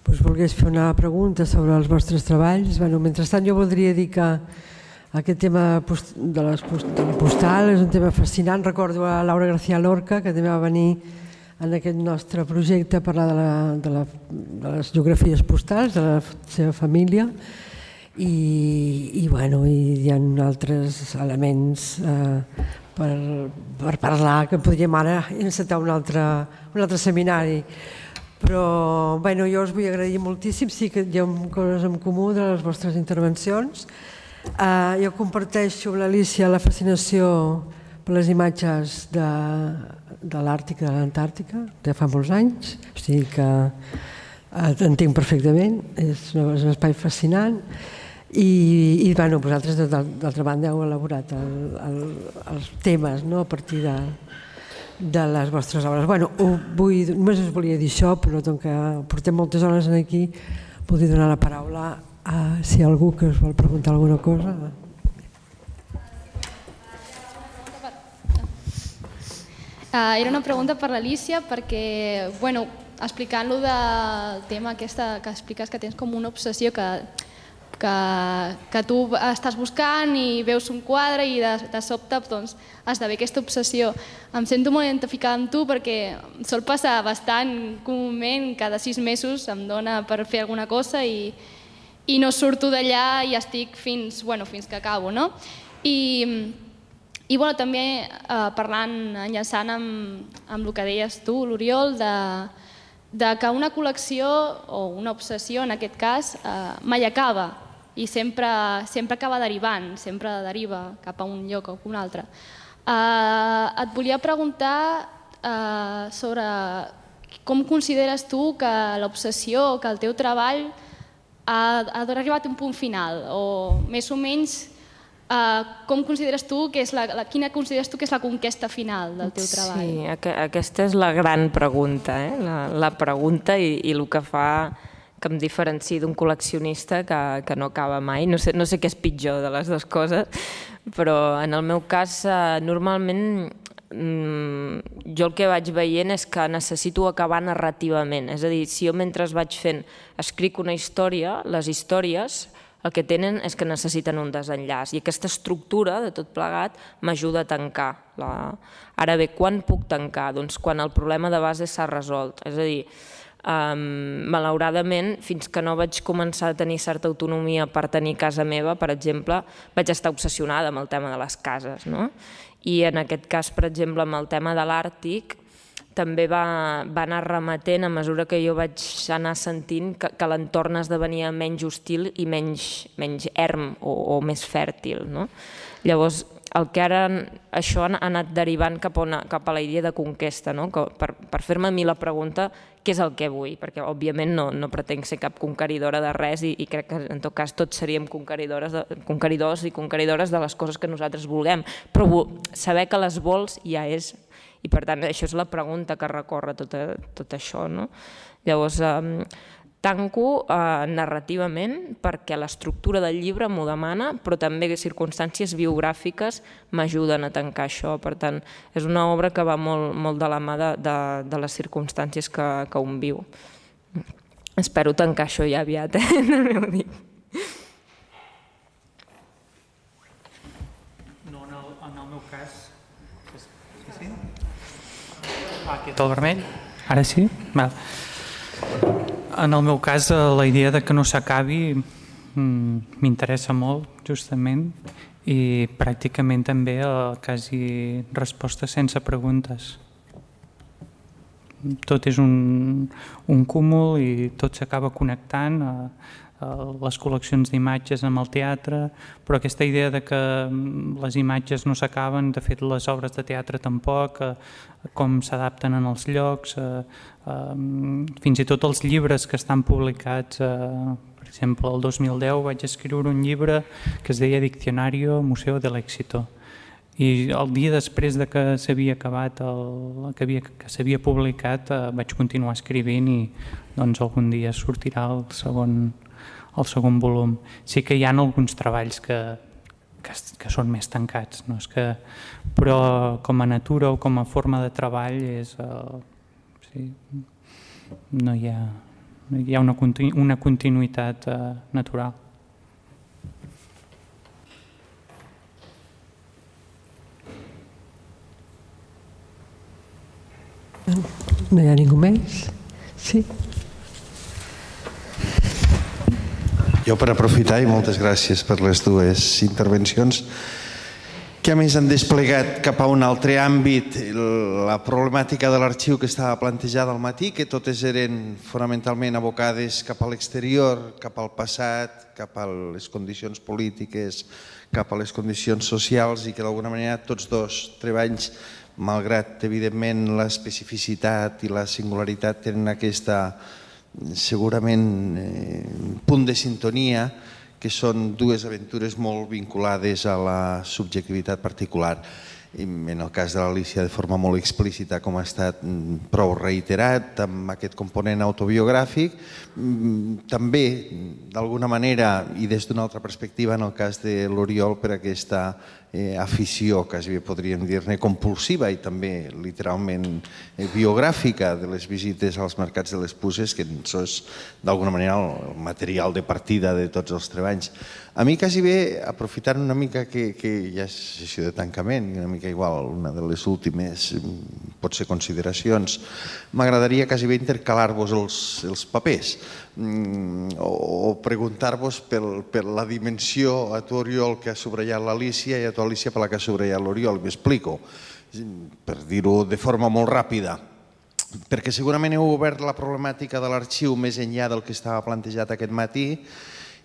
us volgués fer una pregunta sobre els vostres treballs. Mentrestant, jo voldria dir que aquest tema de la postal és un tema fascinant. Recordo a Laura García Lorca, que també va venir en aquest nostre projecte a parlar de les geografies postals, de la seva família, i hi ha altres elements per parlar, que podríem ara encetar un altre seminari. Però jo us vull agrair moltíssim, sí que hi ha coses en comú de les vostres intervencions. Jo comparteixo amb l'Alícia la fascinació per les imatges de l'Àrtic i de l'Antàrtica de fa molts anys, o sigui que entenc perfectament, és un espai fascinant. I vosaltres, d'altra banda, heu elaborat els temes a partir de les vostres obres. Només us volia dir això, però com que portem moltes hores aquí, voldria donar la paraula a si hi ha algú que us vol preguntar alguna cosa. Era una pregunta per l'Alícia perquè, explicant-lo del tema aquest que expliques que tens com una obsessió que tu estàs buscant i veus un quadre i de sobte esdevé aquesta obsessió. Em sento molt identificada amb tu perquè sol passar bastant comúment, cada 6 mesos em dona per fer alguna cosa i no surto d'allà i estic fins que acabo. I també parlant, enllaçant amb el que deies tu, l'Oriol, de que una col·lecció o una obsessió, en aquest cas, mai acaba i sempre acaba derivant, sempre deriva cap a un lloc o a un altre. Et volia preguntar sobre com consideres tu que l'obsessió, que el teu treball ha arribat a un punt final, o més o menys com consideres tu quina consideres tu que és la conquesta final del teu treball? Sí, aquesta és la gran pregunta, la pregunta i el que fa que em diferenciï d'un col·leccionista que no acaba mai. No sé què és pitjor de les dues coses, però en el meu cas normalment jo el que vaig veient és que necessito acabar narrativament. És a dir, si jo mentre vaig fent escric una història, les històries el que tenen és que necessiten un desenllaç i aquesta estructura de tot plegat m'ajuda a tancar. Ara bé, quan puc tancar? Doncs quan el problema de base s'ha resolt. És a dir, malauradament, fins que no vaig començar a tenir certa autonomia per tenir casa meva, per exemple, vaig estar obsessionada amb el tema de les cases. I en aquest cas, per exemple, amb el tema de l'Àrtic, també va anar remetent a mesura que jo vaig anar sentint que l'entorn esdevenia menys hostil i menys erm o més fèrtil. Llavors, el que ara això ha anat derivant cap a la idea de conquesta, per fer-me a mi la pregunta què és el que vull, perquè òbviament no pretenc ser cap conqueridora de res i crec que en tot cas tots seríem conqueridors i conqueridores de les coses que nosaltres vulguem, però saber que les vols ja és, i per tant això és la pregunta que recorre tot això. Llavors tanco narrativament perquè l'estructura del llibre m'ho demana, però també circumstàncies biogràfiques m'ajuden a tancar això. Per tant, és una obra que va molt de la mà de les circumstàncies que un viu. Espero tancar això ja aviat, no m'ho dic. No, en el meu cas... Sí? Aquest el vermell? Ara sí? Val. En el meu cas, la idea de que no s'acabi m'interessa molt, justament, i pràcticament també quasi respostes sense preguntes. Tot és un cúmul i tot s'acaba connectant, les col·leccions d'imatges amb el teatre, però aquesta idea de que les imatges no s'acaben, de fet les obres de teatre tampoc, com s'adapten en els llocs, fins i tot els llibres que estan publicats, per exemple el 2010 vaig escriure un llibre que es deia Diccionario Museo del Éxito, i el dia després de que s'havia acabat, que s'havia publicat, vaig continuar escrivint i algun dia sortirà el segon volum. Sí que hi ha alguns treballs que són més tancats, però com a natura o com a forma de treball no hi ha hi ha una continuïtat natural. No hi ha ningú més? Sí? Jo per aprofitar, i moltes gràcies per les dues intervencions, que a més han desplegat cap a un altre àmbit la problemàtica de l'arxiu que estava plantejada al matí, que totes eren fonamentalment abocades cap a l'exterior, cap al passat, cap a les condicions polítiques, cap a les condicions socials, i que d'alguna manera tots dos treballs, malgrat evidentment l'especificitat i la singularitat, tenen aquesta segurament punt de sintonia, que són dues aventures molt vinculades a la subjectivitat particular. En el cas de l'Alícia de forma molt explícita, com ha estat prou reiterat, amb aquest component autobiogràfic, també d'alguna manera i des d'una altra perspectiva en el cas de l'Oriol per aquesta afició, quasi bé podríem dir-ne compulsiva i també literalment biogràfica de les visites als mercats de les puces, que això és d'alguna manera el material de partida de tots els treballs. A mi quasi bé, aprofitant una mica que ja és sessió de tancament, una mica igual, una de les últimes potser consideracions, m'agradaria quasi bé intercalar-vos els papers o preguntar-vos per la dimensió a tu, Oriol, que ha subratllat l'Alícia i a tu, Alícia, per la que ha subratllat l'Oriol. M'explico, per dir-ho de forma molt ràpida, perquè segurament heu obert la problemàtica de l'arxiu més enllà del que estava plantejat aquest matí.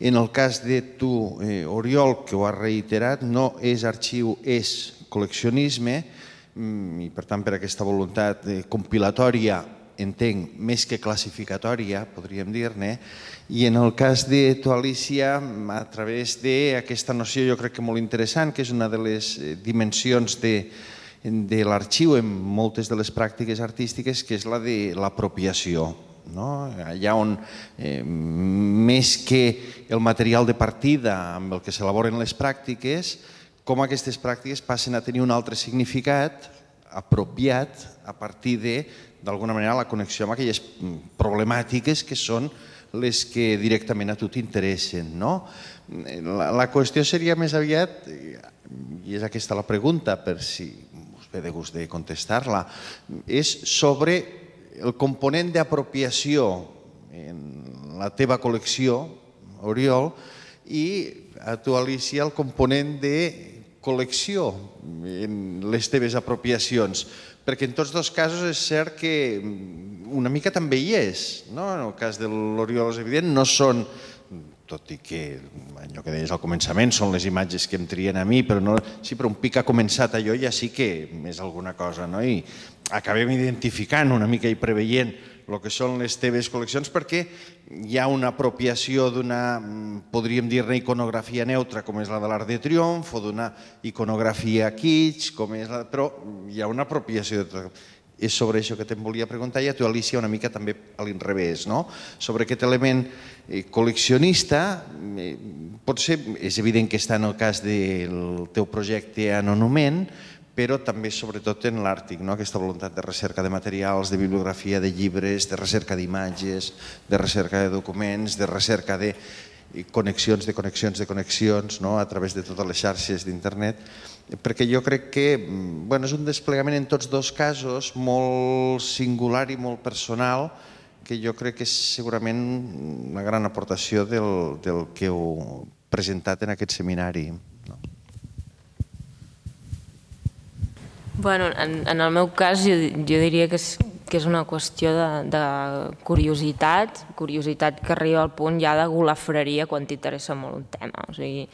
En el cas de tu, Oriol, que ho has reiterat, no és arxiu, és col·leccionisme, i per tant per aquesta voluntat compilatòria, entenc, més que classificatòria, podríem dir-ne, i en el cas de tu, Alícia, a través d'aquesta noció jo crec que molt interessant, que és una de les dimensions de l'arxiu en moltes de les pràctiques artístiques, que és la de l'apropiació. Allà on, més que el material de partida amb el que s'elaboren les pràctiques, com aquestes pràctiques passen a tenir un altre significat apropiat a partir d'alguna manera, la connexió amb aquelles problemàtiques que són les que directament a tu t'interessen. La qüestió seria més aviat, i és aquesta la pregunta, per si us ve de gust de contestar-la, és sobre el component d'apropiació en la teva col·lecció, Oriol, i a tu, Alícia, el component de col·lecció en les teves apropiacions. Perquè en tots dos casos és cert que una mica també hi és. En el cas de l'Oriol és evident, no són, tot i que allò que deies al començament són les imatges que em trien a mi, però un pic ha començat allò ja sí que és alguna cosa, i acabem identificant una mica i preveient el que són les teves col·leccions, perquè hi ha una apropiació d'una, podríem dir-ne, iconografia neutra, com és la de l'Arc de Triomf, o d'una iconografia kitsch, però hi ha una apropiació. És sobre això que te'n volia preguntar, i a tu, Alícia, una mica també a l'inrevés, sobre aquest element col·leccionista. Potser és evident que està en el cas del teu projecte Anonument, però també sobretot en l'Àrtic, aquesta voluntat de recerca de materials, de bibliografia, de llibres, de recerca d'imatges, de recerca de documents, de recerca de connexions a través de totes les xarxes d'internet, perquè jo crec que és un desplegament en tots dos casos molt singular i molt personal, que jo crec que és segurament una gran aportació del que heu presentat en aquest seminari. En el meu cas jo diria que és una qüestió de curiositat que arriba al punt ja de golafreria quan t'interessa molt un tema. O sigui,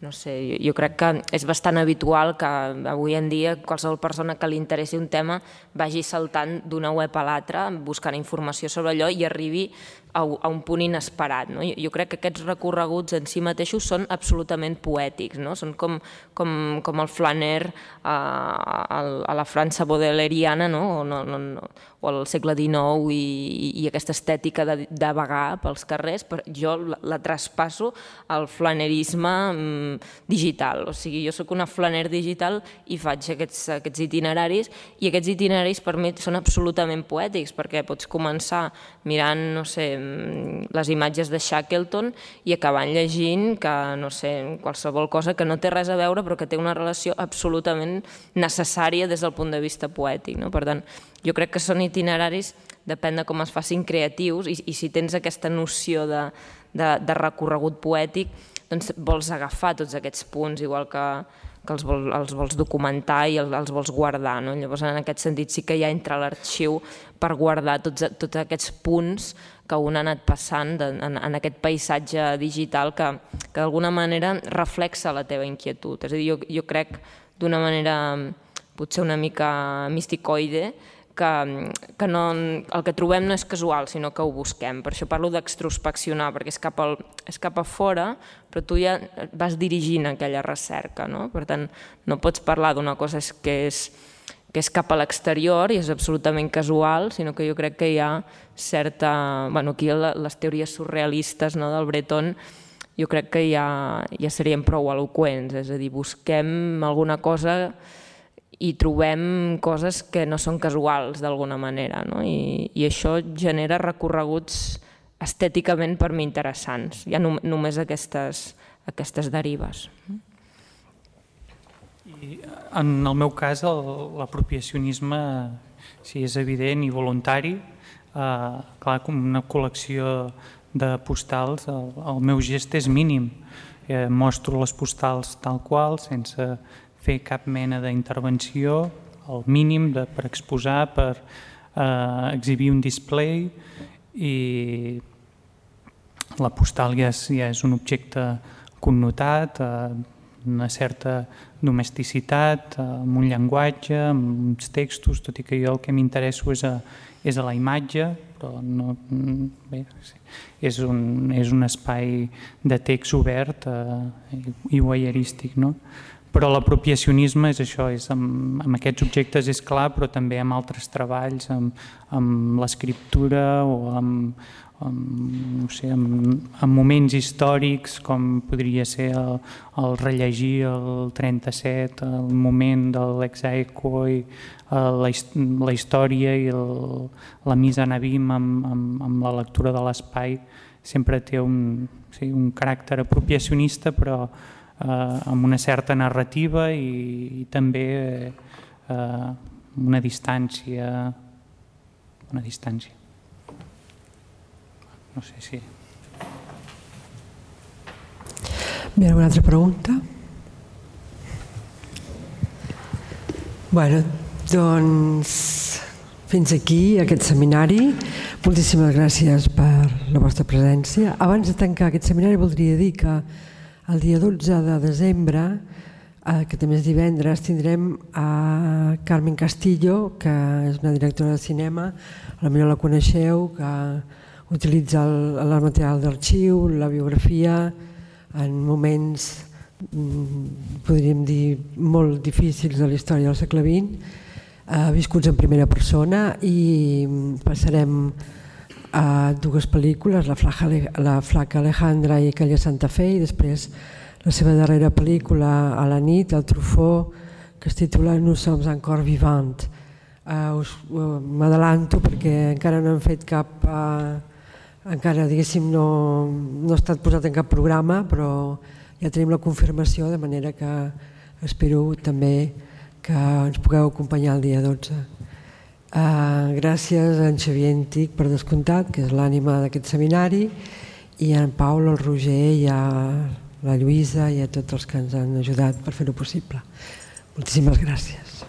no sé, jo crec que és bastant habitual que avui en dia qualsevol persona que li interessi un tema vagi saltant d'una web a l'altra buscant informació sobre allò i arribi a un punt inesperat. Jo crec que aquests recorreguts en si mateixos són absolutament poètics, són com el flaner a la França baudelairiana o al segle XIX i aquesta estètica de vagar pels carrers, però jo la traspasso al flanerisme digital. O sigui, jo soc una flaner digital i faig aquests itineraris, i aquests itineraris per mi són absolutament poètics, perquè pots començar mirant, no sé, les imatges de Shackleton i acabant llegint que, no sé, qualsevol cosa que no té res a veure però que té una relació absolutament necessària des del punt de vista poètic. Per tant, jo crec que són itineraris, depèn de com es facin creatius i si tens aquesta noció de recorregut poètic, doncs vols agafar tots aquests punts, igual que els vols documentar i els vols guardar. Llavors, en aquest sentit, sí que hi ha entre l'arxiu per guardar tots aquests punts que un ha anat passant en aquest paisatge digital que d'alguna manera reflexa la teva inquietud. És a dir, jo crec d'una manera potser una mica misticoide que el que trobem no és casual, sinó que ho busquem. Per això parlo d'extrospeccionar, perquè és cap a fora, però tu ja vas dirigint aquella recerca. Per tant, no pots parlar d'una cosa que és cap a l'exterior i és absolutament casual, sinó que jo crec que hi ha certa... Aquí les teories surrealistes del Breton jo crec que ja serien prou eloqüents, és a dir, busquem alguna cosa i trobem coses que no són casuals d'alguna manera, i això genera recorreguts estèticament per mi interessants. Hi ha només aquestes derives. I en el meu cas, l'apropiacionisme és evident i voluntari. Clar, com una col·lecció de postals, el meu gest és mínim. Mostro les postals tal qual, sense fer cap mena d'intervenció, el mínim per exposar, per exhibir un display, i la postal ja és un objecte connotat, una certa domesticitat, amb un llenguatge, amb uns textos, tot i que jo el que m'interesso és a la imatge, però és un espai de text obert i voyeurístic, no? Però l'apropiacionisme és això, amb aquests objectes és clar, però també amb altres treballs, amb l'escriptura o amb moments històrics com podria ser el rellegir el 37, el moment de l'exaequo i la història i la mise en abîme amb la lectura de l'espai sempre té un caràcter apropiacionista, però amb una certa narrativa i també una distància. No sé si... Bé, alguna altra pregunta? Bé, doncs fins aquí aquest seminari. Moltíssimes gràcies per la vostra presència. Abans de tancar aquest seminari voldria dir que el dia 12 de desembre, que també és divendres, tindrem a Carmen Castillo, que és una directora de cinema, potser la coneixeu, que utilitza el material d'arxiu, la biografia, en moments, podríem dir, molt difícils de la història del segle XX, viscuts en primera persona, i passarem a dues pel·lícules, La flaca Alejandra i Aquella Santa Fe, i després la seva darrera pel·lícula, A la nit, el Truffaut, que es titula Nous sommes encore vivants. M'adelanto perquè encara no hem fet cap... Encara, diguéssim, no ha estat posat en cap programa, però ja tenim la confirmació, de manera que espero també que ens pugueu acompanyar el dia 12. Gràcies a en Xavier Antic, per descomptat, que és l'ànima d'aquest seminari, i a en Paul, el Roger, i a la Lluïsa i a tots els que ens han ajudat per fer-ho possible. Moltíssimes gràcies.